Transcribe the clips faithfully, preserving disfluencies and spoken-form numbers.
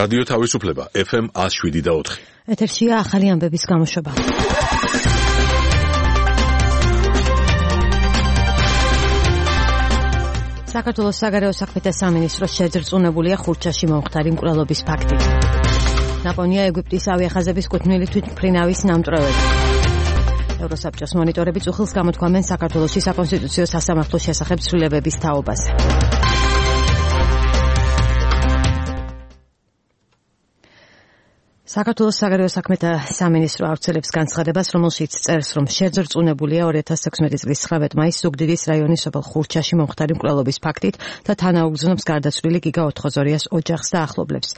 რადიო თავისუფლება ეფ ემ ათს შვიდი და ოთხი. ეთერშია ახალი ამბების გამოშვება. საქართველოს საგარეო საქმეთა სამინისტროს შეძრწუნებულია ხურჩაში მომხდარი მკვლელობის ფაქტი. ნაპოვნია ეგვიპტის ავიახაზების კუთვნილი თვითმფრინავის ნამტვრევები. ევროსაბჭოს მონიტორები წუხილს გამოთქვამენ საქართველოში საკონსტიტუციო სასამართლოს შესახებ ცვლილებების თაობაზე. საქართველოს საგარეო საქმეთა სამინისტრო ავრცელებს განცხადებას, რომელშიც წერს, რომ შეძრწუნებულია ორი ათას თექვსმეტი წლის ცხრამეტ მაისს ზუგდიდის რაიონის სოფელ ხურჩაში მომხდარი მკვლელობის ფაქტით და თანაუგზნობს გარდაცვლილი გიგა ოთხოზორიას ოჯახს და ახლობლებს.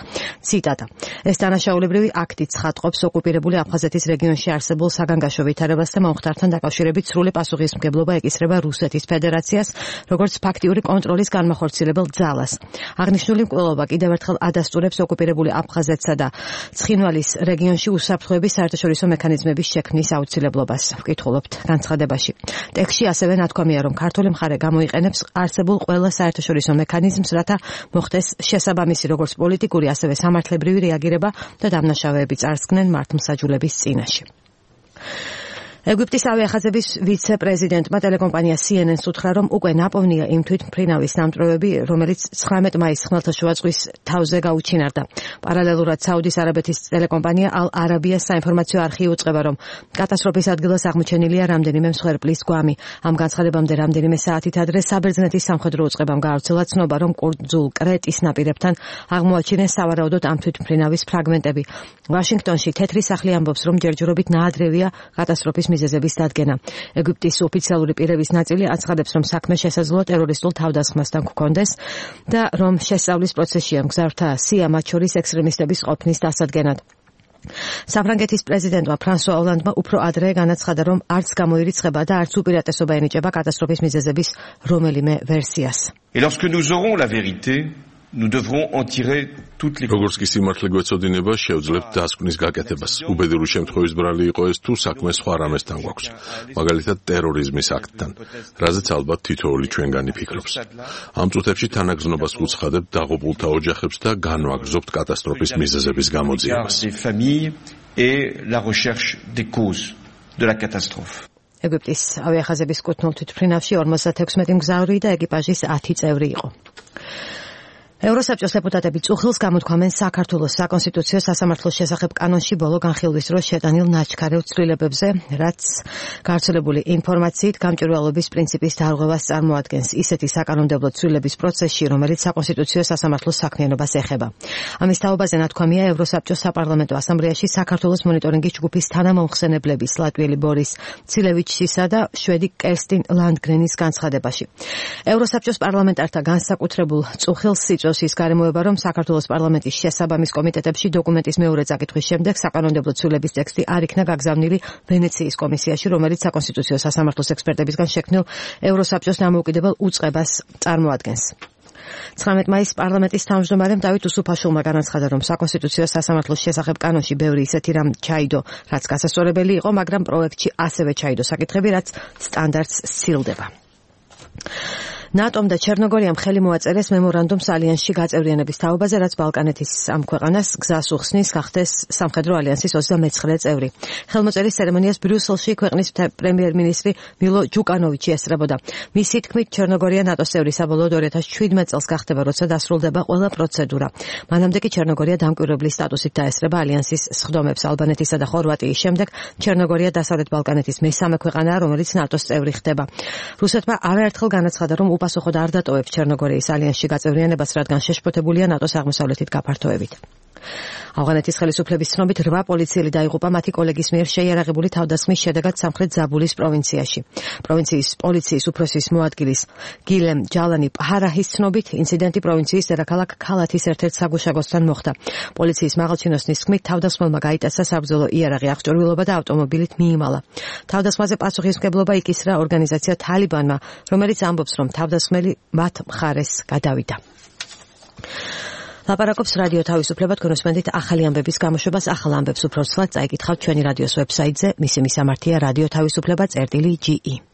ციტატა. ეს დანაშაულებრივი აქტი ცხადყოფს ოკუპირებული აფხაზეთის რეგიონში არსებულ საგანგაშო ვითარებას და მომხდართან დაკავშირებით სრული პასუხისმგებლობა ეკისრება რუსეთის ფედერაციას, როგორც ფაქტიური კონტროლის განმახორციელებელ ძალას. აღნიშნული მკვლელობა კიდევ ერთხელ ადასტურებს ოკუპირებული აფხაზეთსა და ცხინვალის რეგიონში უსაფრთხოების საერთაშორისო მექანიზმების შექმნის აუცილებლობას. ვკითხულობთ განცხადებაში. ტექსტში ასევე ნათქვამია, რომ ქართული მხარე გამოიყენებს არსებულ ყველა საერთაშორისო მექანიზმს, რათა მოხდეს შესაბამისი როგორც პოლიტიკური, ასევე სამართლებრივი რეაგირება და დამნაშავეები წარსდგნენ მართლმსაჯულების წინაშე. ეგვიპტის ავიახაზების ვიცე-პრეზიდენტმა ტელეკომპანია სი ენ ენს უთხრა, რომ უკვე ნაპოვნია იმ თვითმფრინავის ნამტვრევები, რომელიც ცხრამეტ მაისს ხმელთაშუა ზღვის თავზე გაუჩინარდა. პარალელურად საუდის არაბეთის ტელეკომპანია ალ არაბიას საინფორმაციო არხი უწყება, რომ კატასტროფის ადგილას აღმოჩენილია რამდენიმე მსხვერპლის გვამი. ამ განცხადებამდე რამდენიმე საათით ადრე საბერძნეთის სამხედრო უწყებამ გაავრცელა ცნობა, რომ კუნძულ კრეტის ნაპირებთან აღმოაჩინეს სავარაუდოდ ამ თვითმფრინავის ფრაგმენტები. ვაშინგტონში თეთრი სახლი ამბობს, რომ ჯერჯერობით ნაადრევია კატასტროფის მიზეზების დადგენა. ეგვიპტის ოფიციალური პირების ნაწილი აცხადებს, რომ საქმე შესაძლოა ტერორისტულ თავდასხმასთან გქონდეს და რომ შესწავლის პროცესშია მგზავრთა სია მათ შორის ექსტრემისტების ყოფნის დასადგენად. საფრანგეთის პრეზიდენტმა ფრანსუა ოლანდმა უფრო ადრე განაცხადა, რომ არც გამოირიცხება და არც უპირატესობა ენიჭება კატასტროფის მიზეზების რომელიმე ვერსიას. Et lorsque nous aurons la vérité, nous devrons en tirer toutes les როგორც კი სიმართლე გვეცოდინება, შევძლებთ დასკვნის გაკეთებას. უბედური შემთხვევის ბრალი იყო ეს თუ საქმე სხვა რამესთან გვაქვს, მაგალითად ტერორიზმის აქტთან, რაზეც ალბათ თითოეული ჩვენგანი ფიქრობს. ამ წუთებში თანაგზნობას ვუცხადებთ დაღუპულთა ოჯახებს და განვაგრძობთ კატასტროფის მიზეზების გამოძიებას. ეგვიპტის ავიახაზების კუთვნილ თვითმფრინავში ორმოცდათექვსმეტი მგზავრი და ეკიპაჟის ათი წევრი იყო. ევროსაბჭოს დეპუტატები წუხილს გამოთქვამენ საქართველოს საკონსტიტუციო სასამართლოს შესახებ კანონში ბოლო განხილვის დროს შეტანილ ნაჩქარევ ცვლილებებზე, რაც გავრცელებული ინფორმაციით გამჭვირვალობის პრინციპის დარღვევას წარმოადგენს ისეთი საკანონმდებლო ცვლილების პროცესში, რომელიც საკონსტიტუციო სასამართლოს საქმიანობას ეხება. ამის თაობაზე ნათქვამია ევროსაბჭოს საპარლამენტო ასამბლეაში საქართველოს მონიტორინგის ჯგუფის თანამომხსენებლების ლატვიელი ბორის ცილევიჩისა და შვედი კერსტინ ლანდგრენის განცხადებაში. ევროსაბჭოს პარლამენტართა განსაკუთრებულ წუხილს ის გარემოება, რომ საქართველოს პარლამენტის შესაბამის კომიტეტებში დოკუმენტის მეორე წაკითხვის შემდეგ საკანონმდებლო ცვლილების ტექსტი არ იქნა გაგზავნილი ვენეციის კომისიაში, რომელიც საკონსტიტუციო სასამართლოს ექსპერტებისგან შექმნილ ევროსაბჭოს დამოუკიდებელ უწყებას წარმოადგენს. ცხრამეტ მაისს პარლამენტის თავმჯდომარემ დავით უსუფაშვილმა განაცხადა, რომ საკონსტიტუციო სასამართლოს შესახებ კანონში ბევრი ისეთი რამ ჩაიდო, რაც გასასწორებელი იყო, მაგრამ პროექტში ასევე ჩაიდო საკითხები, რაც სტანდარტს სცილდება. ნატომ და ჩერნოგორიამ ხელი მოაწერეს მემორანდუმს ალიანსში გაწევრიანების თაობაზე, რაც ბალკანეთის ამ ქვეყანას გზას უხსნის გახდეს სამხედრო ალიანსის ოცდამეცხრე წევრი. ხელმოწერის ცერემონიას ბრიუსელში ქვეყნის პრემიერ-მინისტრი მილო ჯუკანოვიჩი ესწრებოდა. მისი თქმით, ჩერნოგორია ნატოს წევრი საბოლოოდ ორი ათას შვიდმეტ წელს გახდება, როცა დასრულდება ყველა პროცედურა. მანამდე კი ჩერნოგორია დამკვირვებლის სტატუსით დაესწრება ალიანსის სხდომებს. ალბანეთისა და ხორვატიის შემდეგ ჩერნოგორია დასავლეთ ბალკანეთის მესამე ქვეყანაა, რომელიც ნატოს წევრი ხდება. რუსეთმა არაერთხელ განაცხადა, რომ პასუხოდ არ დატოვებს ჩერნოგორიის ალიანსში გაწევრიანებას, რადგან შეშფოთებულია ნატოს აღმოსავლეთით გაფართოებით. ავღანეთის ხელისუფლების ცნობით რვა პოლიციელი დაიღუპა მათი კოლეგის მიერ შეიარაღებული თავდასხმის შედეგად სამხრეთ ზაბულის პროვინციაში. პროვინციის პოლიციის უფროსის მოადგილის გილემ ჯალანი პჰარაჰის ცნობით ინციდენტი პროვინციის დედაქალაქ ქალათის ერთ-ერთ საგუშაგოსთან მოხდა. პოლიციის მაღალჩინოსნის თქმით, თავდასხმელმა გაიტაცა საბრძოლო იარაღი, აღჭურვილობა და ავტომობილით მიიმალა. თავდასხმაზე პასუხისმგებლობა იკისრა ორგანიზაცია თალიბანმა, რომელიც ამბობს, რომ თავდასხმელი მათ მხარეს გადავიდა. ლაპარაკობს რადიო თავისუფლება, თქვენოსმენდით ახალი ამბების გამოშვებას, ახალ ამბებს უფრო ცვლად წაიკითხავთ ჩვენი რადიოს ვებსაიტზე, მისი მისამართია რადიო თავისუფლება წერტილი ჯი ი.